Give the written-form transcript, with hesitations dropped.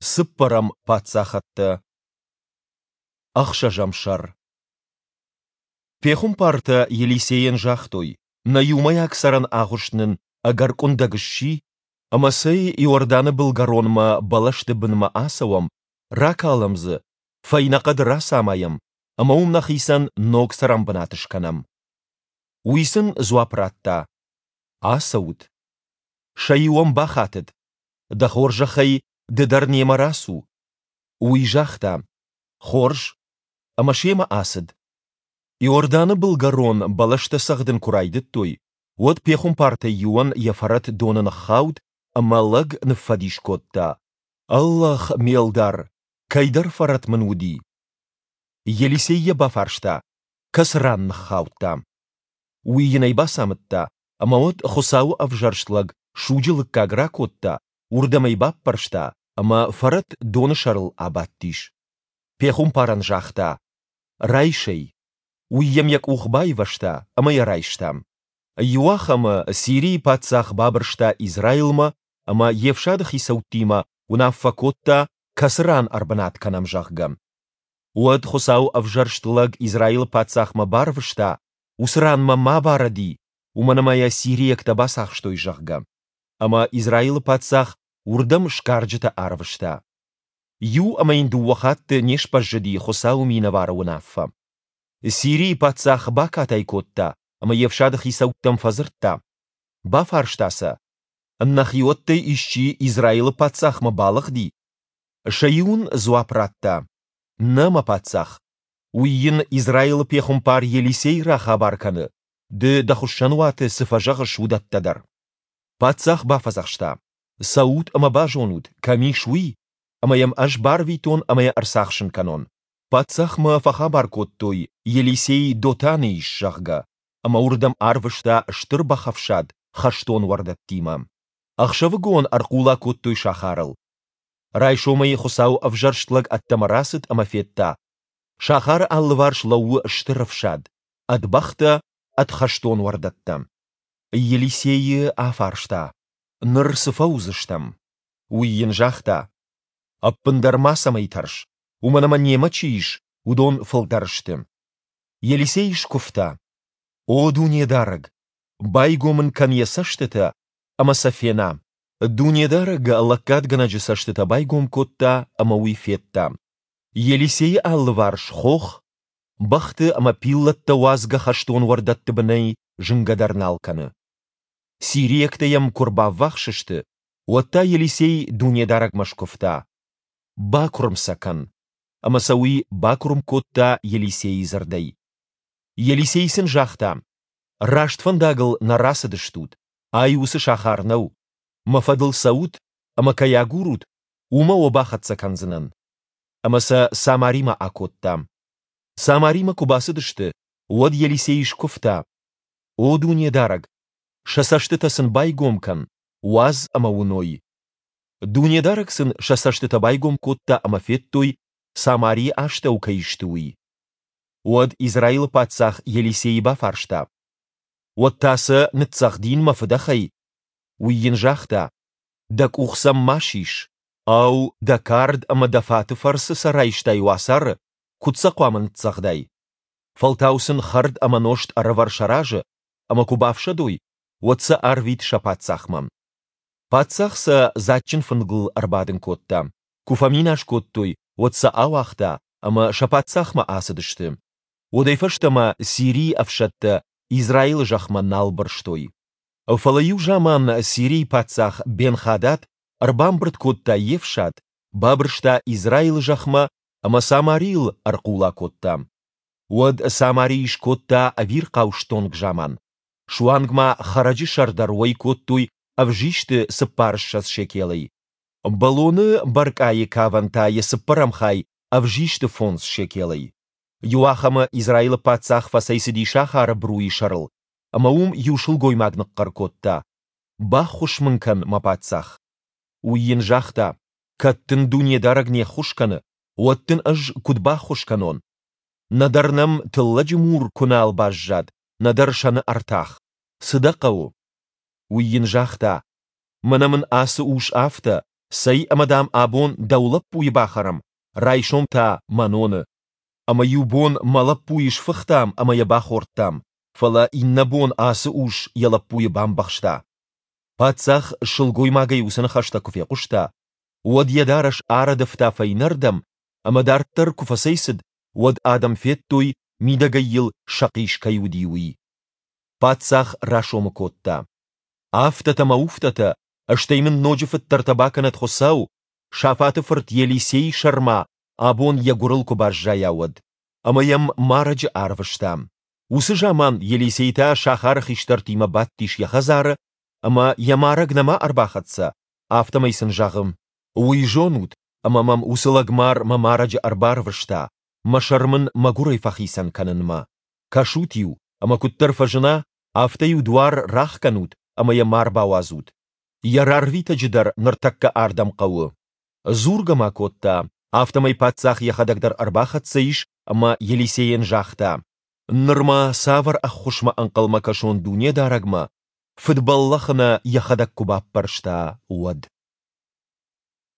Цыппӕрӕм паддзахӕдтӕ. Ӕхсӕзӕм сӕр. Пехуымпартӕ Елисейӕн загътой, Нӕ иумӕйаг цӕрӕн агъуыст нын ӕгӕр къуындӕг сси, ӕмӕ цӕй Иорданы былгӕронмӕ бӕлӕсты бынмӕ ацӕуӕм, ракалӕм дзы, фӕйнӕ хъӕды рацамайӕм ӕмӕ уым нӕхицӕн ног цӕрӕнбынат скӕнӕм. Уый сын дзуапп радта, Ацӕут. Сӕ иу ӕм бахатыд, Дӕ хорзӕхӕй, ды дӕр немӕ рацу. Уый загъта, Хорз. Ӕмӕ семӕ ацыд. Иорданы былгӕрон бӕлӕстӕ цӕгъдын куы райдыдтой, уӕд пехуымпартӕй иуӕн йӕ фӕрӕт доны ныххауд ӕмӕ лӕг ныффӕдис кодта, Ӕллӕх, ме лдар, кӕйдӕр фӕрӕт мын уыди. Елисей йӕ бафарста, кӕцы ран ныххаудта. Уый йын ӕй бацамыдта, ӕмӕ уӕд Хуыцауы ӕвзӕрст лӕг суджы лыггаг ракодта, уырдӕм ӕй баппӕрста, ӕмӕ фӕрӕт доны сӕрыл абадтис. Пехуымпарӕн загъта, «Райс ӕй». Уый йӕм йӕ къух байвӕзта ӕмӕ йӕ райста. Иуахӕмы Сирийы паддзах бабырста Израилмӕ ӕмӕ йе фсады хицӕуттимӕ уынаффӕ кодта, кӕцы ран ӕрбынат кӕнӕм, зӕгъгӕ. Уӕд Хуыцау ӕвзӕрст лӕг Израилы паддзахмӕ барвыста, уыцы ранмӕ ма баради, уымӕн ӕмӕ йӕ сириӕгтӕ бацахстой, зӕгъгӕ. Ӕмӕ Израилы паддзах уырдӕм сгарджытӕ арвыста. Иу ӕмӕ йын дыууӕ хатты не сбӕззыди Хуыцауы минӕвары уынаффӕ. Сирийы паддзах бакатай кодта ӕмӕ йе фсады хицӕуттӕм фӕдзырдта. Бафарста сӕ, Нӕхиуӕттӕй исчи Израилы паддзахмӕ балыгъди? Сӕ иу ын дзуапп радта, Нӕ, мӕ паддзах. Уый йын Израилы пехуымпар Елисей рахабар кӕны, ды дӕ хуыссӕнуаты цы фӕзӕгъыс, уыдӕттӕ дӕр. Паддзах бафӕдзӕхста, Цӕут ӕмӕ базонут, кӕм ис уый, ӕмӕ йӕм ӕз барвитон ӕмӕ йӕ ӕрцахсын кӕнон. Паддзахмӕ фӕхабар кодтой, Елисей Дотаны ис, зӕгъгӕ, ӕмӕ уырдӕм арвыста стыр бӕхӕфсад хӕстон уӕрдӕттимӕ. Ӕхсӕвыгон ӕрхъула кодтой сахарыл. Райсомӕй Хуыцау ӕвзӕрст лӕг ӕддӕмӕ рацыд ӕмӕ федта, сахары алыварс лӕууы стыр ӕфсад, ӕд бӕхтӕ, ӕд хӕстон уӕрдӕттӕ. Елисейы афарста, Ныр цы фӕуыдзыстӕм? Уый йын загъта, Ӕппындӕр мацӕмӕй тӕрс, уымӕн ӕмӕ немӕ чи ис, уыдон фылдӕр сты. Елисей скуывта, О Дунедарӕг, байгом ын кӕн йӕ цӕстытӕ, ӕмӕ сӕ фена. Дунедарӕг лӕггадгӕнӕджы цӕстытӕ байгом кодта, ӕмӕ уый федта. Елисейы алыварс хох, бӕхты ӕмӕ пиллӕттӕ уадзгӕ хӕстон уӕрдӕтты бынӕй зынгӕ дӕр нал кӕны. Сириӕгтӕ йӕм куы рбаввахс сты, уӕд та Елисей Дунедарӕгмӕ скуывта, «Бакуырм сӕ кӕн!» Ӕмӕ сӕ уый бакуырм кодта Елисейы дзырдӕй. Елисей сын загъта, «Раст фӕндагыл нӕ рацыдыстут, ай уыцы сахар нӕу. Мӕ фӕдыл цӕут ӕмӕ кӕй агурут, уымӕ уӕ бахӕццӕ кӕндзынӕн». Ӕмӕ сӕ Самаримӕ акодта. Самаримӕ куы бацыдысты, уӕд Елисей скуывта, «О Дунедарӕг, сӕ цӕстытӕ сын байгом кӕн, уадз ӕмӕ уыной». Дунедарӕг сын сӕ цӕстытӕ байгом кодта ӕмӕ федтой, Самарийы астӕу кӕй сты, уый. Уӕд Израилы паддзах Елисейы бафарста, Уӕд та сӕ ныццӕгъдин мӕ фыдӕхӕй? Уый йын загъта, Дӕ къух сӕм ма сис. Ау, дӕ кард ӕмӕ дӕ фаты фӕрцы сӕ райстай уацары, куыд сӕ хъуамӕ ныццӕгъдай? Фӕлтау сын хӕрд ӕмӕ нозт ӕрӕвӕр сӕ разы, ӕмӕ куы бафсӕдой, уӕд сӕ арвит сӕ паддзахмӕ. Паддзах сӕ дзаджджын фынгыл ӕрбадын кодта. Куы фӕминас кодтой, уӕд сӕ ауагъта, ӕмӕ сӕ паддзахмӕ ацыдысты. Уӕдӕй фӕстӕмӕ Сирийы ӕфсӕдтӕ Израилы зӕхмӕ нал бырстой. Фӕлӕ иу заман Сирийы паддзах Бен-Хадад ӕрбамбырд кодта йе фсад, бабырста Израилы зӕхмӕ ӕмӕ Самарийыл ӕрхъула кодта. Уӕд Самарийы скодта ӕвирхъау стонг заман. Суанг ма хӕрӕджы сӕр дӕр уӕй кодтой ӕвзисты цыппарыссӕдз шекелӕй. Бӕлоны бӕркъайы кавӕн та йӕ цыппӕрӕм хай ӕвзисты фондз шекелӕй. Иуахӕмы Израилы паддзах фӕцӕйцыди сахары бруйы сӕрыл, ӕмӕ уым иу сылгоймаг ныхъхъӕр кодта, «Баххуыс мын кӕн, мӕ паддзах!» Уый йын загъта, «Кӕд дын Дунедарӕг не ххуыс кӕны, уӕд дын ӕз куыд баххуыс кӕнон? Нӕдӕр нӕм тыллӕджы мур куы нал баззад, нӕдӕр сӕны ӕртах. Цы дӕ хъӕуы?» Уый йын загъта, «Мӕнӕ мын ацы ус афтӕ, Цӕй ӕмӕ, дам, абон дӕу лӕппуйы бахӕрӕм, райсом та мӕноны. Ӕмӕ иу бон мӕ лӕппуйы сфыхтам ӕмӕ йӕ бахордтам, фӕлӕ иннӕ бон ацы ус йӕ лӕппуйы бамбӕхста. Паддзах сылгоймагӕй уыцы ныхӕстӕ куы фехъуыста, уӕд йӕ дарӕс арӕдывта фӕйнӕрдӕм ӕмӕ дарддӕр куы фӕцӕйцыд, уӕд адӕм федтой, мидӕгӕй йыл сӕхъис кӕй уыди, уый. Паддзах расомы кодта. Афтӕтӕ мӕ уфтӕтӕ, стӕй мын ноджы фыддӕртӕ бакӕнӕд Хуыцау, Сафаты фырт Елисейы сӕр ма абон йӕ гуырыл куы баззайа, уӕд. Ӕмӕ йӕм марӕджы арвыста. Уыцы заман Елисей та сахары хистӕртимӕ бадтис йӕ хӕдзары, ӕмӕ йӕ марӕг нӕма ӕрбахӕццӕ, афтӕмӕй сын зӕгъы, Уый зонут, ӕмӕ мӕм уыцы лӕгмар мӕ марӕджы ӕрбарвыста, мӕ сӕр мын мӕ гуырӕй фӕхицӕн кӕнынмӕ. Кӕсут-иу, ӕмӕ куыддӕр фӕзына, афтӕ-иу дуар рахгӕнут ӕмӕ йӕ ма рбауадзут. Йӕ рарвитӕджы дӕр ныртӕккӕ ардӕм хъӕуы. Дзургӕ ма кодта, афтӕмӕй паддзах йӕхӕдӕг дӕр ӕрбахӕццӕ ис ӕмӕ Елисейӕн загъта, Ныр ма цавӕр ӕххуысмӕ ӕнхъӕлмӕ кӕсон Дунедарӕгмӕ, фыдбӕллӕхы нӕ йӕхӕдӕг куы баппӕрста, уӕд?